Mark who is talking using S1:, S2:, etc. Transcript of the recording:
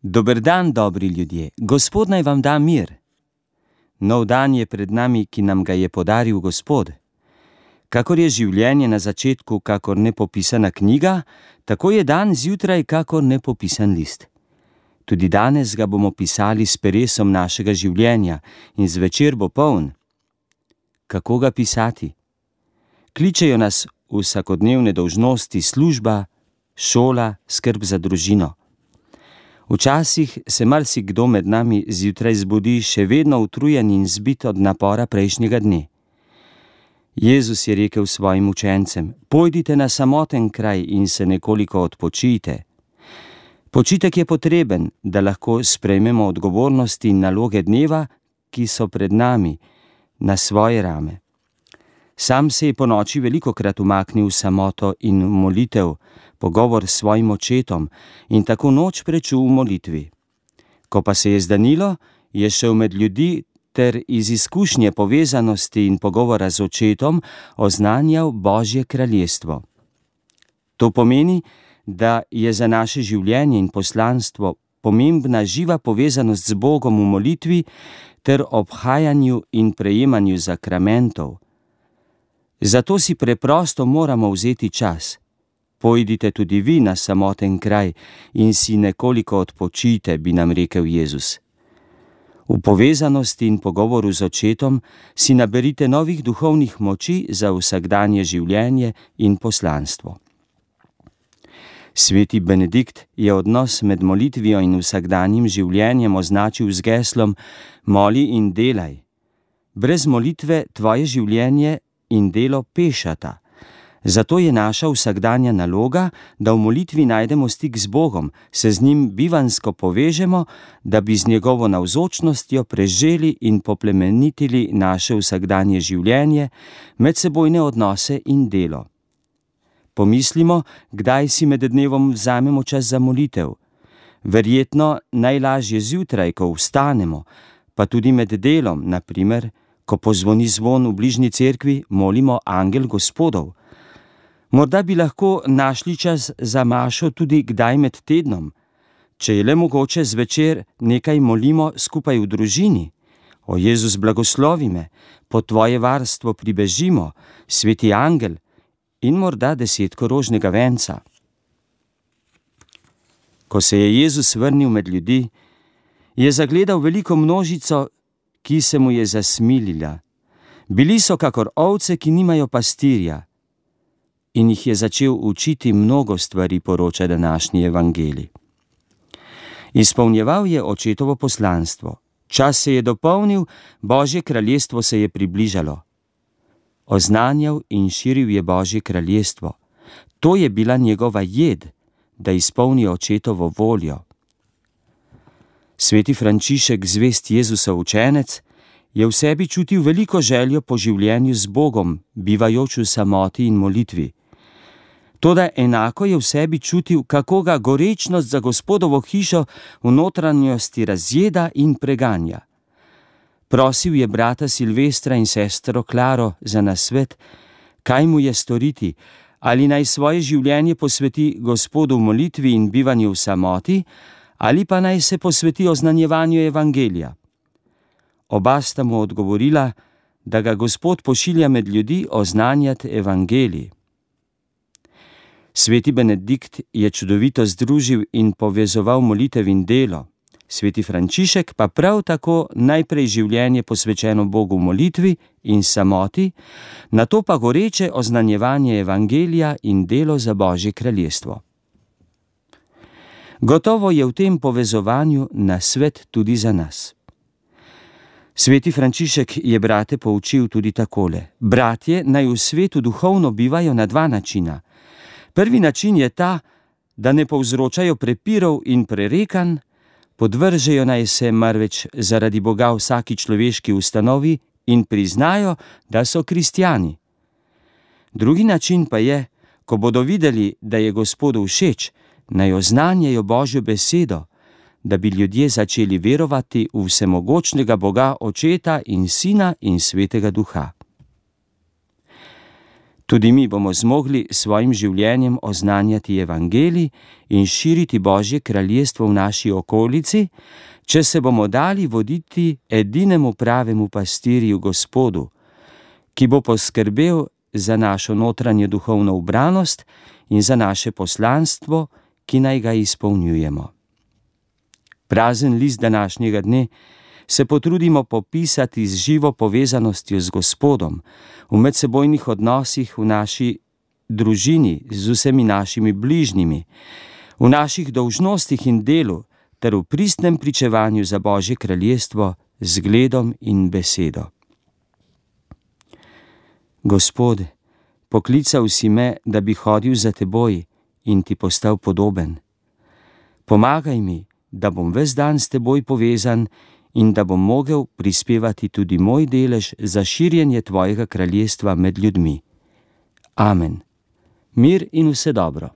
S1: Dober dan, dobri ljudje, Gospod naj vam da mir. Nov dan je pred nami, ki nam ga je podaril Gospod. Kakor je življenje na začetku kakor nepopisana knjiga, tako je dan zjutraj kakor nepopisan list. Tudi danes ga bomo pisali s peresom našega življenja in zvečer bo poln. Kako ga pisati? Kličejo nas vsakodnevne dolžnosti, služba, šola, skrb za družino. Včasih se marsikdo med nami zjutraj zbudi še vedno utrujen in zbit od napora prejšnjega dne. Jezus je rekel svojim učencem: pojdite na samoten kraj in se nekoliko odpočijte. Počitek je potreben, da lahko sprejmemo odgovornosti in naloge dneva, ki so pred nami, na svoje rame. Sam se je ponoči velikokrat umaknil v samoto in molitev, pogovor s svojim očetom in tako noč prečul v molitvi. Ko pa se je zdanilo, je šel med ljudi ter iz izkušnje povezanosti in pogovora z očetom oznanjal Božje kraljestvo. To pomeni, da je za naše življenje in poslanstvo pomembna živa povezanost z Bogom v molitvi ter obhajanju in prejemanju zakramentov. Zato si preprosto moramo vzeti čas. Pojdite tudi vi na samoten kraj in si nekoliko odpočijte, bi nam rekel Jezus. V povezanosti in pogovoru z očetom si naberite novih duhovnih moči za vsakdanje življenje in poslanstvo. Sveti Benedikt je odnos med molitvijo in vsakdanjim življenjem označil z geslom: moli in delaj. Brez molitve tvoje življenje in delo pešata. Zato je naša vsakdanja naloga, da v molitvi najdemo stik z Bogom, se z njim bivansko povežemo, da bi z njegovo navzočnostjo preželi in poplemenitili naše vsakdanje življenje, medsebojne odnose in delo. Pomislimo, kdaj si med dnevom vzamemo čas za molitev. Verjetno najlažje zjutraj, ko vstanemo, pa tudi med delom, na primer, ko pozvoni zvon v bližnji cerkvi, molimo Angel Gospodov. Morda bi lahko našli čas za mašo tudi kdaj med tednom. Če je le mogoče, zvečer nekaj molimo skupaj v družini. O Jezus, blagoslovi me, pod tvoje varstvo pribežimo, sveti angel, in morda 10 rožnega venca. Ko se je Jezus vrnil med ljudi, je zagledal veliko množico, ki se mu je zasmilila. Bili so kakor ovce, ki nimajo pastirja. In jih je začel učiti mnogo stvari, poroča današnji evangelij. Izpolnjeval je očetovo poslanstvo. Čas se je dopolnil, Božje kraljestvo se je približalo. Oznanjal in širil je Božje kraljestvo. To je bila njegova jed, da izpolni očetovo voljo. Sveti Frančišek, zvest Jezusov učenec, je v sebi čutil veliko željo po življenju z Bogom, bivajoč v samoti in molitvi. Toda enako je v sebi čutil, kako ga gorečnost za Gospodovo hišo v notranjosti razjeda in preganja. Prosil je brata Silvestra in sestro Klaro za nasvet, kaj mu je storiti, ali naj svoje življenje posveti Gospodu v molitvi in bivanju v samoti, ali pa naj se posveti oznanjevanju evangelija. Oba sta mu odgovorila, da ga Gospod pošilja med ljudi oznanjati evangelij. Sveti Benedikt je čudovito združil in povezoval molitev in delo. Sveti Frančišek pa prav tako najprej življenje posvečeno Bogu v molitvi in samoti, nato pa goreče oznanjevanje evangelija in delo za Božje kraljestvo. Gotovo je v tem povezovanju nasvet tudi za nas. Sveti Frančišek je brate poučil tudi takole: bratje naj v svetu duhovno bivajo na 2 načina. Prvi način je ta, da ne povzročajo prepirov in prerekanj, podvržejo naj se marveč zaradi Boga vsaki človeški ustanovi in priznajo, da so kristjani. Drugi način pa je, ko bodo videli, da je Gospodu všeč, naj oznanjajo Božjo besedo, da bi ljudje začeli verovati v vsemogočnega Boga Očeta in Sina in Svetega Duha. Tudi mi bomo zmogli svojim življenjem oznanjati evangelij in širiti Božje kraljestvo v naši okolici, če se bomo dali voditi edinemu pravemu pastirju Gospodu, ki bo poskrbel za našo notranjo duhovno ubranost in za naše poslanstvo, ki naj ga izpolnjujemo. Prazen list današnjega dne se potrudimo popisati z živo povezanostjo z Gospodom, v medsebojnih odnosih v naši družini, z vsemi našimi bližnjimi, v naših dolžnostih in delu, ter v pristnem pričevanju za Božje kraljestvo z zgledom in besedo. Gospod, poklical si me, da bi hodil za teboj in ti postal podoben. Pomagaj mi, da bom ves dan s teboj povezan in da bom mogel prispevati tudi moj delež za širjenje tvojega kraljestva med ljudmi. Amen. Mir in vse dobro.